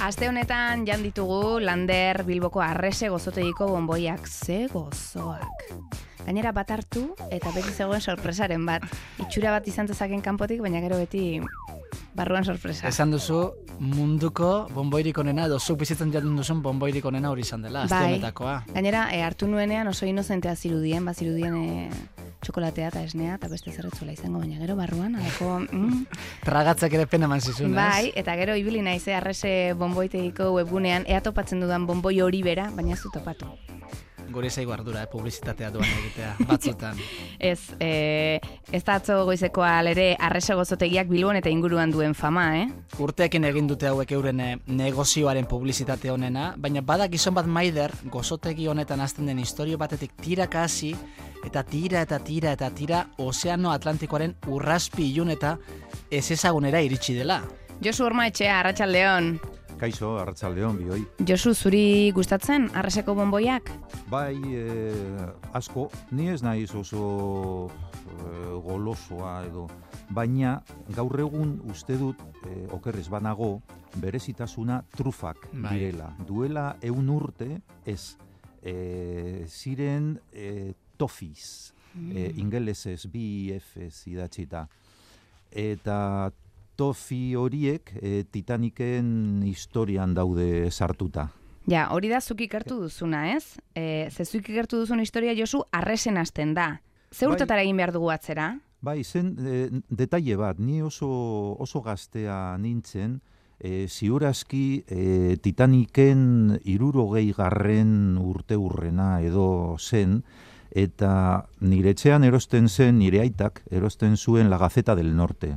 Aste honetan jan ditugu Lander Bilboko Arrese gozotegiko bonboiak, ze gozoak. Gainera bat hartu eta beti zegoen sorpresaren bat. Itxura bat izan dezaken kanpotik, baina gero beti barruan sorpresa. Esan duzu munduko bonboirik onena, edo zuk bizitzen jatun duzun bonboirik honena hori izan dela, aste honetakoa. Gainera, hartu nuenean oso inozentea zirudien, txokolatea eta esnea, eta beste zerretzuela izango, baina gero barruan, alako... Tragatzak ere pena eman zizun, ez? Bai, eta gero ibili naiz, Arrese bonboitegiko webgunean, ea topatzen dudan bonboi hori bera, baina ez du topatu. Gure zaigu ardura, publizitatea duan egitea, batzutan. Ez da atzo goizekoa ere Arrese gozotegiak Bilbon eta inguruan duen fama, Urteekin egin dute hauek euren negozioaren publizitate honena, baina badak gizon bat maider gozotegi honetan hasten den istorio batetik tiraka hasi, eta tira Ozeano Atlantikoaren urraspi ilun eta ez ezagunera iritsi dela. Josu Ormaetxea, Arratsaldeon. Kaixo, Arratsaldeon, bioi. Josu, zuri gustatzen Arreseko bonboiak? Bai, asko, ni ez naiz oso golosoa edo, baina gaur egun uste dut, okerrez banago, berezitasuna trufak direla. Duela 100 urte, ez, ziren toffees, ingelesez, BFs idatzita, eta tofi horiek Titaniken historian daude sartuta. Ja, hori da zuk ikertu duzuna, ez? Zuk ikertu duzun historia, Josu, Arresen hasten da. Ze urtetara egin behar dugu atzera? Bai, zen detaile bat, ni oso gaztea nintzen, ziurazki Titaniken 60. urte urrena edo zen, eta nire etxean erosten zen, nire aitak erosten zuen La Gaceta del Norte.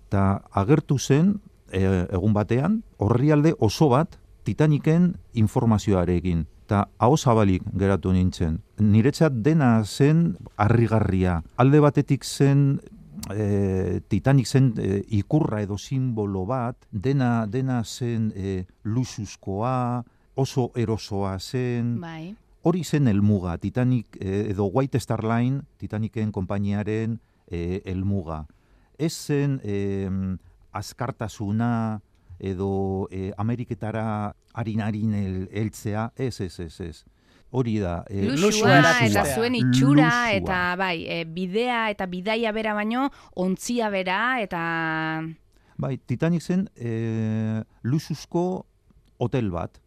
Eta agertu zen, egun batean, orrialde oso bat Titaniken informazioarekin. Eta aho zabalik geratu nintzen. Niretzat dena zen harrigarria. Alde batetik zen, Titanic zen ikurra edo simbolo bat, dena zen luxuzkoa, oso erosoa zen. Bai. Hori zen helmuga, Titanic edo White Star Line, Titaniken konpainiaren helmuga. Ez zen azkartasuna edo Ameriketara harin heltzea, ez. Hori da. Luxua eta zuen itxura, eta bai, bidea eta bidaia bera baino, ontzia bera, eta... Bai, Titanic zen luxuzko hotel bat,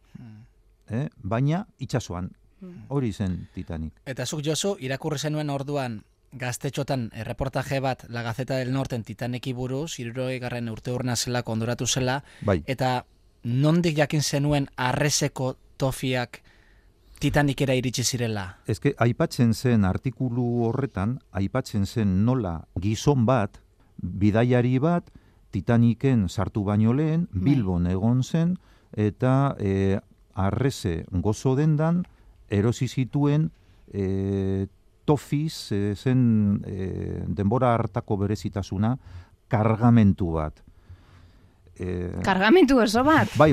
baina itsasoan. Hori zen Titanic. Eta zuk, Josu, irakurri zenuen orduan, gaztetxotan erreportaje bat La Gaceta del Norten Titaniki buruz, 60. urte urna zela, kondoratu zela, bai. Eta nondik jakin zenuen Arreseko tofiak Titanikera iritsi zirela? Ezke, aipatzen zen artikulu horretan, aipatzen zen nola gizon bat, bidaiari bat, Titaniken sartu baino lehen, Bilbon egon zen, eta Arrese gozo dendan, erosi zituen tofiz, zen denbora hartako berezitasuna, kargamentu bat. Kargamentu oso bat? Bai.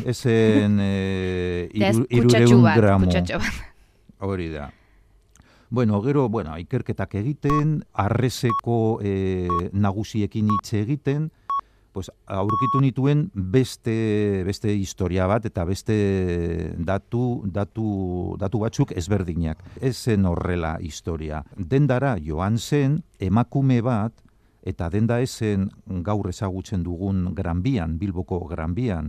Ezen 300 gramo. Hori da. Gero, ikerketak egiten, Arreseko nagusiekin hitz egiten, pues, aurkitu nituen beste historia bat eta beste datu batzuk ezberdinak. Ez zen horrela historia. Dendara joan zen emakume bat, eta denda ezen gaur ezagutzen dugun Gran Bian, Bilboko Gran Bian,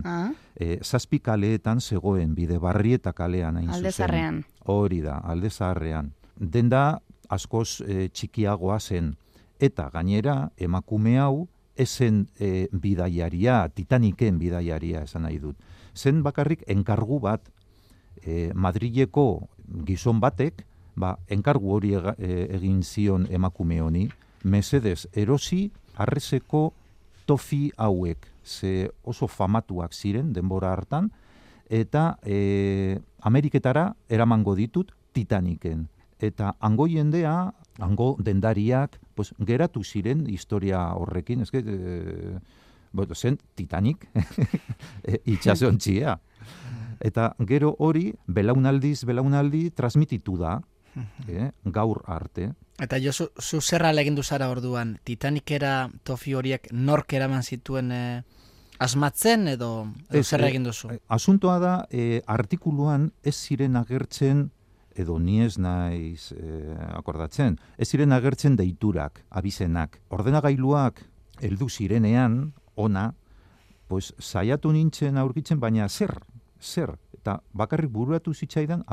7 kaleetan zegoen, Bidebarrieta kalean hain zuzen. Alde Zaharrean. Hori da, Alde Zaharrean. Denda askoz txikiagoa zen. Eta gainera, emakume hau, ezen bidaiaria, Titaniken bidaiaria esan nahi dut. Zen bakarrik enkargu bat, Madrileko gizon batek, enkargu hori egin zion emakume honi, mesedez erosi Arreseko tofi hauek, ze oso famatuak ziren denbora hartan, eta Ameriketara eramango ditut Titaniken. Eta hango jendea, hango dendariak, pues, geratu ziren historia horrekin, zen Titanic, itxasontxia. Eta gero hori, belaunaldi transmititu da, gaur arte. Eta jo, zu zerra legindu zara orduan, Titanikera tofi horiek nork eraman zituen asmatzen edo zer egin duzu? Asuntoa da, artikuluan ez ziren agertzen, edo ni ez naiz akordatzen, ez ziren agertzen deiturak, abizenak. Ordenagailuak heldu zirenean, ona, pues, saiatu nintzen aurkitzen, baina zer, eta bakarrik buruatu zitzaidan,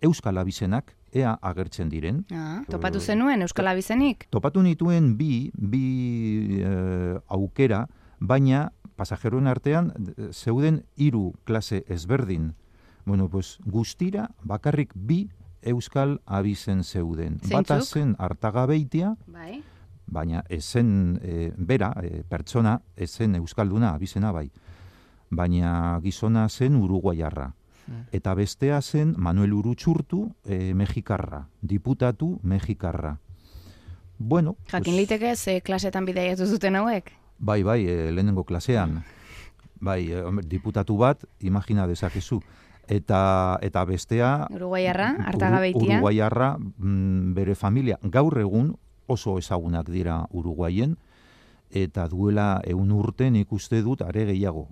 euskal abizenak, ea agertzen diren. Topatu zenuen euskal abizenik? Topatu nituen bi aukera, baina pasajeroen artean zeuden 3 klase ezberdin. Guztira bakarrik 2 euskal abizen zeuden. Bata zen Artagabeitia, baina ezen bera, pertsona, ezen euskalduna abizena bai. Baina gizona zen uruguaiarra. Eta bestea zen Manuel Urutxurtu, mexikarra, diputatu mexikarra. Jakin liteke ze klasetan bidaiatu zuten hauek? Bai, lehenengo klasean. Bai, diputatu bat, imagina dezakezu. Eta bestea... Uruguaiarra, Artagabeitia. Uruguaiarra, bere familia. Gaur egun oso ezagunak dira Uruguaien, eta duela 100 urte nik uste dut are gehiago.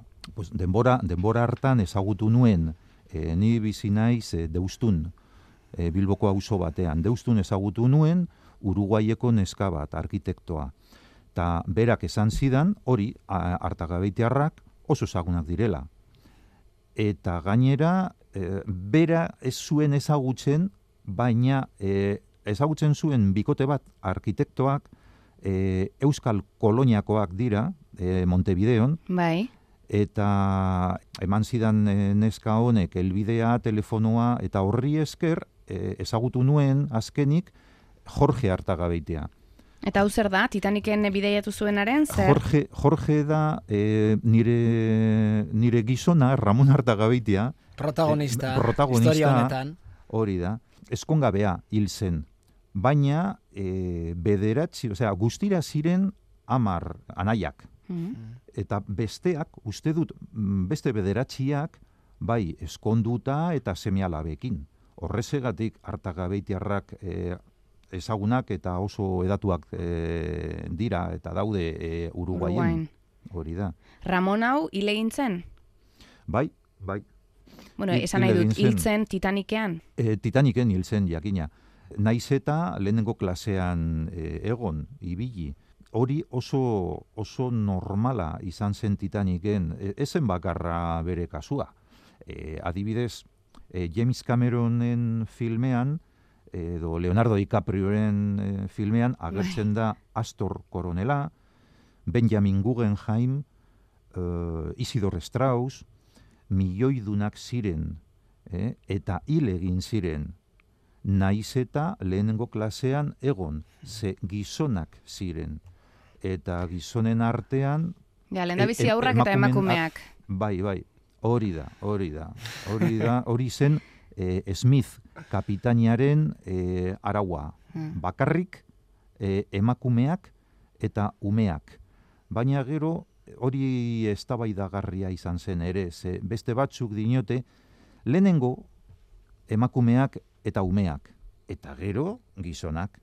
Denbora hartan ezagutu nuen, ni bizi naiz Deustun, Bilboko auzo batean. Deustun ezagutu nuen Uruguaieko neska bat, arkitektoa. Eta berak esan zidan, hori, Artagabeitiarrak oso ezagunak direla. Eta gainera, bera ez zuen ezagutzen, baina ezagutzen zuen bikote bat arkitektoak, euskal koloniakoak dira, Montevideon, bai. Eta eman zidan neska honek helbidea, telefonoa, eta horri esker ezagutu nuen azkenik Jorge Artagabeitia. Eta hau zer da, Titaniken bidaiatu zuenaren, zer? Jorge da nire gizona, Ramon Artagabeitia. Protagonista, historia honetan. Hori da, ezkongabea hil zen. Baina guztira ziren 10 anaiak. Eta besteak, uste dut, beste 9 bai eskonduta eta seme-alabekin. Horrezegatik Artagabeitiarrak ezagunak eta oso edatuak dira eta daude Uruguaien. Hori da. Ramon hau hil egin zen? Bai. Esan nahi dut, hil zen Titanikean? Titaniken hil zen, jakina. Naiz eta lehenengo klasean egon, ibili. Hori oso normala izan zen Titaniken, ezen bakarra bere kasua. Adibidez, James Cameronen filmean, edo Leonardo DiCaprioren filmean, agertzen da Astor koronela, Benjamin Guggenheim, Isidor Strauss, milioidunak ziren, eta hil egin ziren, naiz eta lehenengo klasean egon, ze gizonak ziren. Eta gizonen artean... lehendabizi aurrak eta emakumeak. Bai, hori da. Hori zen Smith kapitainaren araua. Bakarrik emakumeak eta umeak. Baina gero hori eztabaidagarria izan zen ere, ze beste batzuk dinote, lehenengo emakumeak eta umeak. Eta gero gizonak.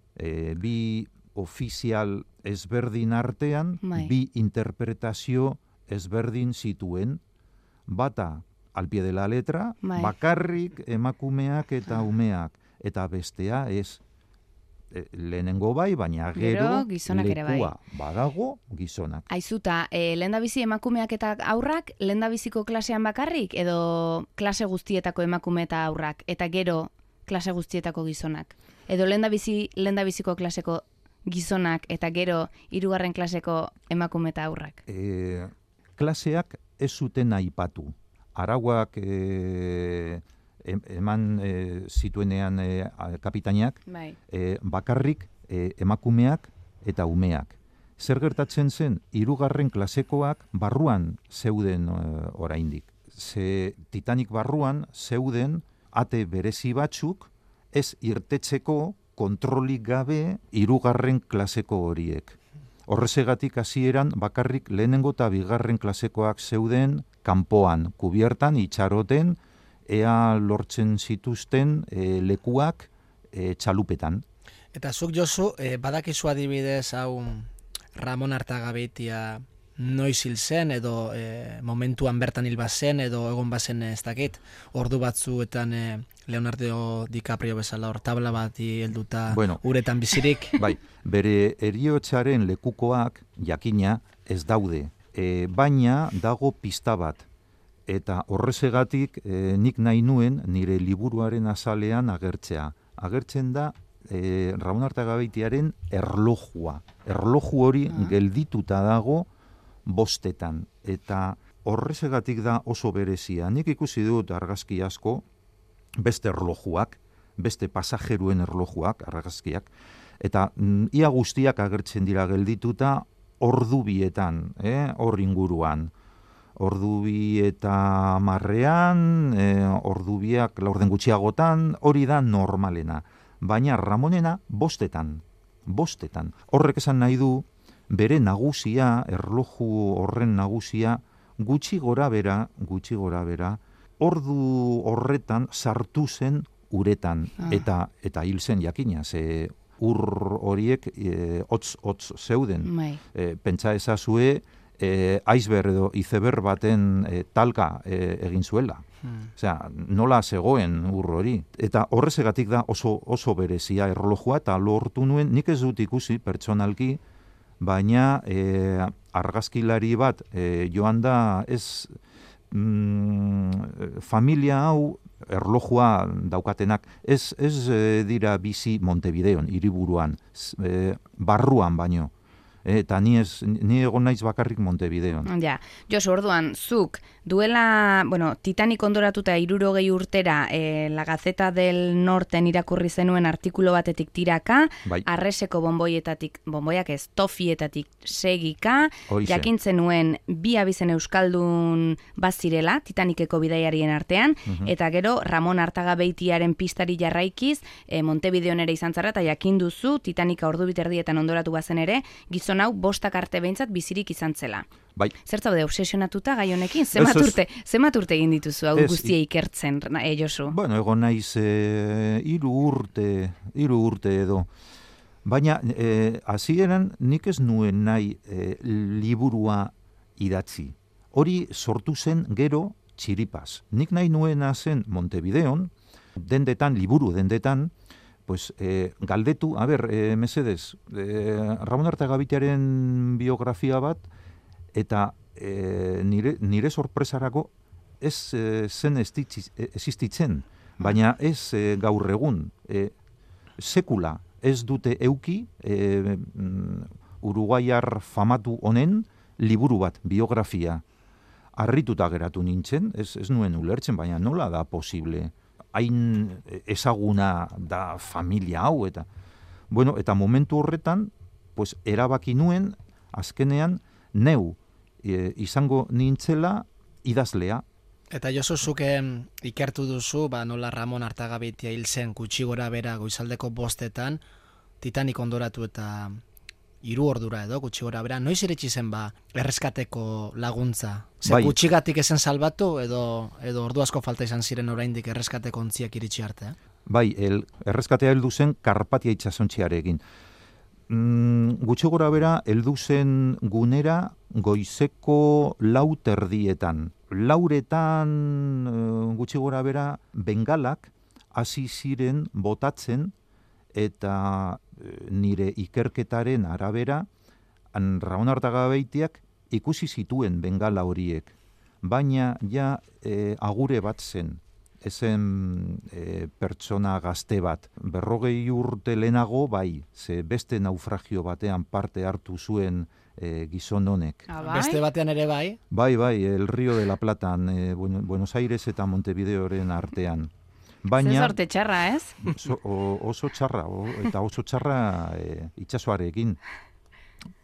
Bi ofizial ezberdin artean, bi interpretazio ezberdin zituen, bata al pie de la letra, bakarrik emakumeak eta umeak, eta bestea ez lehenengo bai, baina gero lekua badago gizonak. Aizuta, lehendabizi emakumeak eta aurrak lehendabiziko klasean bakarrik, edo klase guztietako emakume eta aurrak, eta gero klase guztietako gizonak? Edo lehendabiziko klaseko gizonak eta gero 3. klaseko emakume eta aurrak? Klaseak ez zuten aipatu. Arauak eman zituenean kapitainak, bakarrik emakumeak eta umeak. Zer gertatzen zen, 3. klasekoak barruan zeuden oraindik. Ze Titanic barruan zeuden ate berezi batzuk ez irtetzeko kontrolik gabe 3. klaseko horiek. Horrezegatik hasieran bakarrik lehenengo eta 2. klasekoak zeuden kanpoan, kubiertan, itxaroten, ea lortzen zituzten lekuak txalupetan. Eta zuk Josu, badakizu adibidez hau Ramon Artagabeitia noiz hil zen, edo momentuan bertan hil bazen, edo egon bazen ez dakit, ordu batzuetan Leonardo DiCaprio bezala hor tabla bat helduta uretan bizirik. Bai, bere heriotzaren lekukoak jakina ez daude, baina dago pista bat. Eta horrezegatik nik nahi nuen nire liburuaren azalean agertzea. Agertzen da Ramon Artagabeitiaren erlojua. Erloju hori geldituta dago 5etan. Eta horrezegatik da oso berezia. Nik ikusi dut argazki asko, beste erlojuak, beste pasajeruen erlojuak, argazkiak, eta ia guztiak agertzen dira geldituta ordu bietan, hor inguruan. Ordu bi eta marrean, ordu biak laurden gutxiagotan, hori da normalena. Baina Ramonena 5etan. Horrek esan nahi du, bere nagusia, erloju horren nagusia, gutxi gora bera, ordu horretan sartu zen uretan, eta hil zen jakina, ze ur horiek hotz zeuden. Pentsa ezazue, iceberg edo iceberg baten talka egin zuela. Osea, nola zegoen ur hori. Eta horrezegatik da oso berezia erlojua, eta lortu nuen, nik ez dut ikusi pertsonalki, baina argazkilari bat joan da ez familia hau erlojua daukatenak, ez dira bizi Montevideon, hiriburuan, barruan baino. Eta ni egon naiz bakarrik Montevideon. Ja, Josu, orduan, zuk duela, Titanic ondoratuta 60 urtera La Gaceta del Norten irakurri zenuen artikulo batetik tiraka, Arreseko bonboiak ez, tofietatik segika, jakintzen nuen 2 abizen euskaldun bazirela, Titaniceko bidaiarien artean, eta gero Ramon Artagabeitiaren pistari jarraikiz, Montevideon ere izan zara, eta jakinduzu Titanica ordu biterdietan ondoratu bazen ere, gizon hau 5 arte behintzat bizirik izan zela. Bai. Zer zaude obsesionatuta gai honekin? Zemat urte egin dituzu hau guztia ikertzen, Josu? Egon naiz 3 urte edo. Baina hasieran nik ez nuen nahi liburua idatzi. Hori sortu zen gero txiripaz. Nik nahi nuena zen Montevideon, liburu dendetan, galdetu, mesedez, Ramon Artagabeitiaren biografia bat, eta nire sorpresarako ez zen existitzen, baina ez gaur egun, sekula ez dute euki uruguaiar famatu honen liburu bat, biografia. Harrituta geratu nintzen, ez nuen ulertzen, baina nola da posible? Hain ezaguna da familia hau, eta momentu horretan, erabaki nuen, azkenean, neu izango nintzela idazlea. Eta Josu, zuke ikertu duzu, nola Ramon Artagabeitia hil zen gutxi gora bera goizaldeko 5etan, Titanic ondoratu eta 3 ordura edo gutxi gora bera, noiz iritsi zen erreskateko laguntza? Gutxigatik ezen salbatu edo ordu asko falta izan ziren oraindik erreskateko ontziak iritsi arte? Bai, erreskatea heldu zen Karpatia itsasontziarekin. Gutxi gora bera heldu zen gunera goizeko 4:00. 4:00 gutxi gora bera bengalak hasi ziren botatzen, eta nire ikerketaren arabera, Ramon Artagabeitiak ikusi zituen bengala horiek, baina agure bat zen, ezen pertsona gazte bat. 40 urte lehenago, ze beste naufragio batean parte hartu zuen gizon honek. Beste batean ere bai? Bai, el Río de la Platan, Buenos Aires eta Montevideoren artean. Zer sorte txarra, ez? Oso txarra, eta oso txarra itsasoarekin.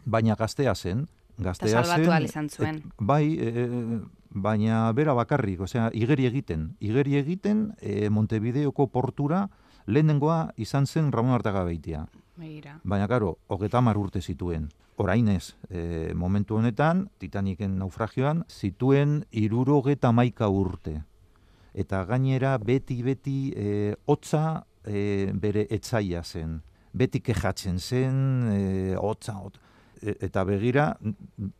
Baina gaztea zen. Eta salbatu ahal izan zuen. Bai, baina bera bakarrik, igeri egiten Montevideoko portura lehenengoa izan zen Ramon Artagabeitia. Baina, karo, 30 urte zituen. Orainez, momentu honetan, Titanicen naufragioan, zituen 71 urte. Eta gainera beti hotza bere etzaia zen. Beti kejatzen zen, hotza. eta begira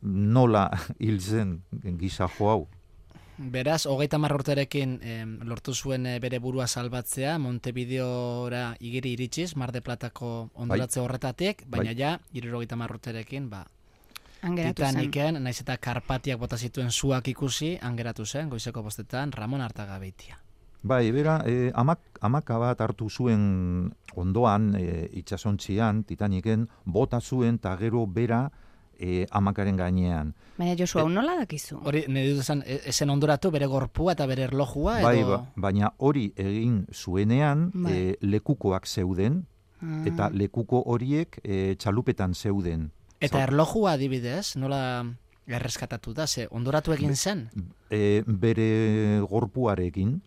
nola hil zen gisa jo hau. Beraz, 30 urterekin lortu zuen bere burua salbatzea, Montevideora igeri iritsiz, Mar de Platako hondoratze horretatik, baina ja, 70 urterekin, Titaniken, naiz eta Karpatiak bota zituen zuak ikusi, angeratu zen, goizeko 5 Ramon Artagabeitia. Bai, bera, amaka bat hartu zuen ondoan, itsasontzian, Titaniken, bota zuen, eta gero bera amakaren gainean. Baina Josu, hau nola dakizu? Hori, nire dut esan, esen ondoratu bere gorpua eta bere erlojua, edo... Baina hori egin zuenean, lekukoak zeuden, eta lekuko horiek txalupetan zeuden. Eta erlojua adibidez, nola erreskatatu da, ze ondoratu egin zen? Bere gorpuarekin.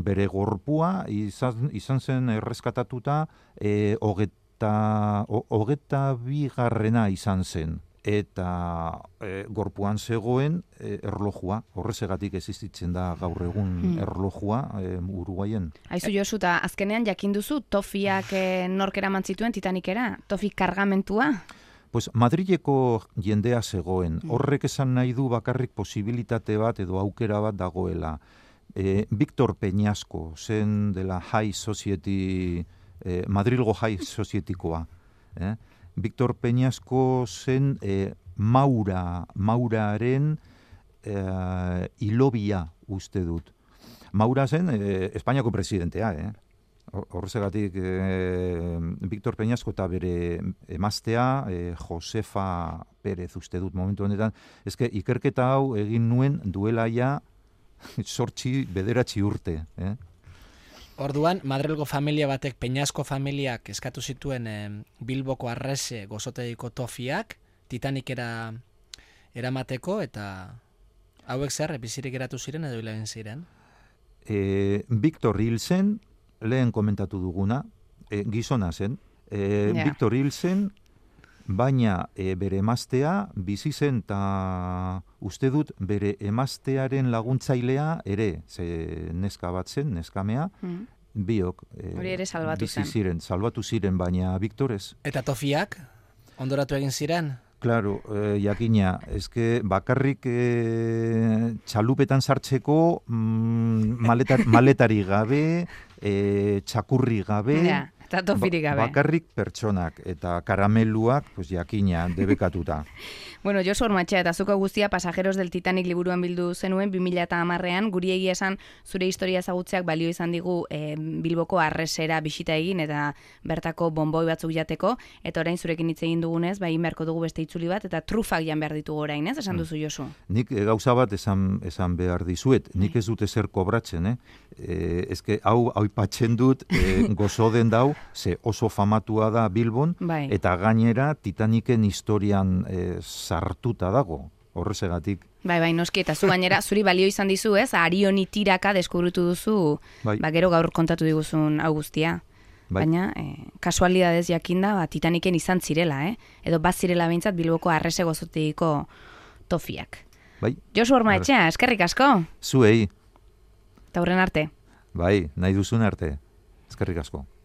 Bere gorpua izan zen erreskatatuta 22. izan zen. Eta gorpuan zegoen erlojua, horrezegatik existitzen da gaur egun erlojua Uruguayen. Aizu Josu, eta azkenean jakin duzu tofiak nork eraman zituen Titanikera? Tofi kargamentua? Pues Madrileko jendea zegoen. Horrek esan nahi du bakarrik posibilitate bat edo aukera bat dagoela. Victor Peñasco zen dela High Society, Madrilgo High Societykoa. Victor Peñasco zen Mauraren hilobia uste dut. Maura zen Espainiako presidentea, Horregatik Victor Peñasco eta bere emaztea Josefa Pérez uste dut momentu honetan. Eske ikerketa hau egin nuen duela ja 9 urte. Orduan, Madrilgo familia batek, Peñasco familiak eskatu zituen Bilboko Arrese gozotegiko tofiak, Titanikera eramateko, eta hauek zer, bizirik geratu ziren edo hilagin ziren? Victor hil zen, lehen komentatu duguna, gizona zen. Victor hil zen, baina bere emaztea bizi zen, eta uste dut bere emaztearen laguntzailea ere, ze neska bat zen, neskamea, biok hori ere salbatu salbatu ziren, baina Victor ez. Eta tofiak, ondoratu egin ziren? Claro, jakina, eske bakarrik txalupetan sartzeko maletari gabe, txakurri gabe, eta tofirik gabe. Bakarrik pertsonak eta karameluak, pues jakina, debekatuta. Bueno, Josu Ormatxea, eta zuko guztia Pasajeros del Titanic liburuan bildu zenuen 2010ean, guri egia esan zure historia ezagutzeak balio izan digu Bilboko Arresera bisita egin eta bertako bonboi batzuk jateko, eta orain zurekin hitz egin dugunez, egin beharko dugu beste itzuli bat, eta trufak jan behar ditugu orain, ez? Esan duzu, Josu? Nik gauza bat esan behar dizuet, nik ez dut ezer kobratzen, Ezke hau aipatzen dut gozo den dau, ze oso famatua da Bilbon, eta gainera Titaniken historian sartuta dago, horrezegatik. Bai, noski, eta zu gainera, zuri balio izan dizu, ez? Arioni tiraka deskubrutu duzu, gero gaur kontatu diguzun hau guztia. Baina, kasualidadez jakinda, Titaniken izan zirela, edo bazirela behintzat Bilboko Arrese gozotegiko tofiak. Josu Ormaetxea, eskerrik asko? Zuei. Eta hurren arte. Bai, nahi duzun arte. Eskerrik asko.